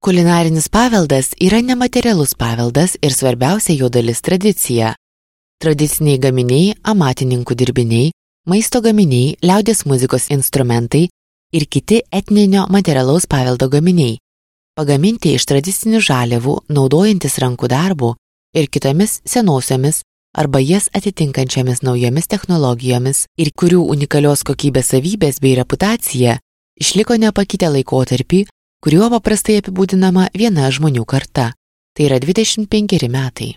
Kulinarinis paveldas yra nematerialus paveldas ir svarbiausia jo dalis tradicija. Tradiciniai gaminiai, amatininkų dirbiniai, maisto gaminiai, liaudies muzikos instrumentai ir kiti etninio materialaus paveldo gaminiai, pagaminti iš tradicinių žaliavų, naudojantis rankų darbu ir kitomis senosiomis arba jas atitinkančiamis naujomis technologijomis ir kurių unikalios kokybės savybės bei reputacija išliko nepakitę laikotarpį, kuriuo paprastai apibūdinama viena žmonių karta, tai yra 25 metai.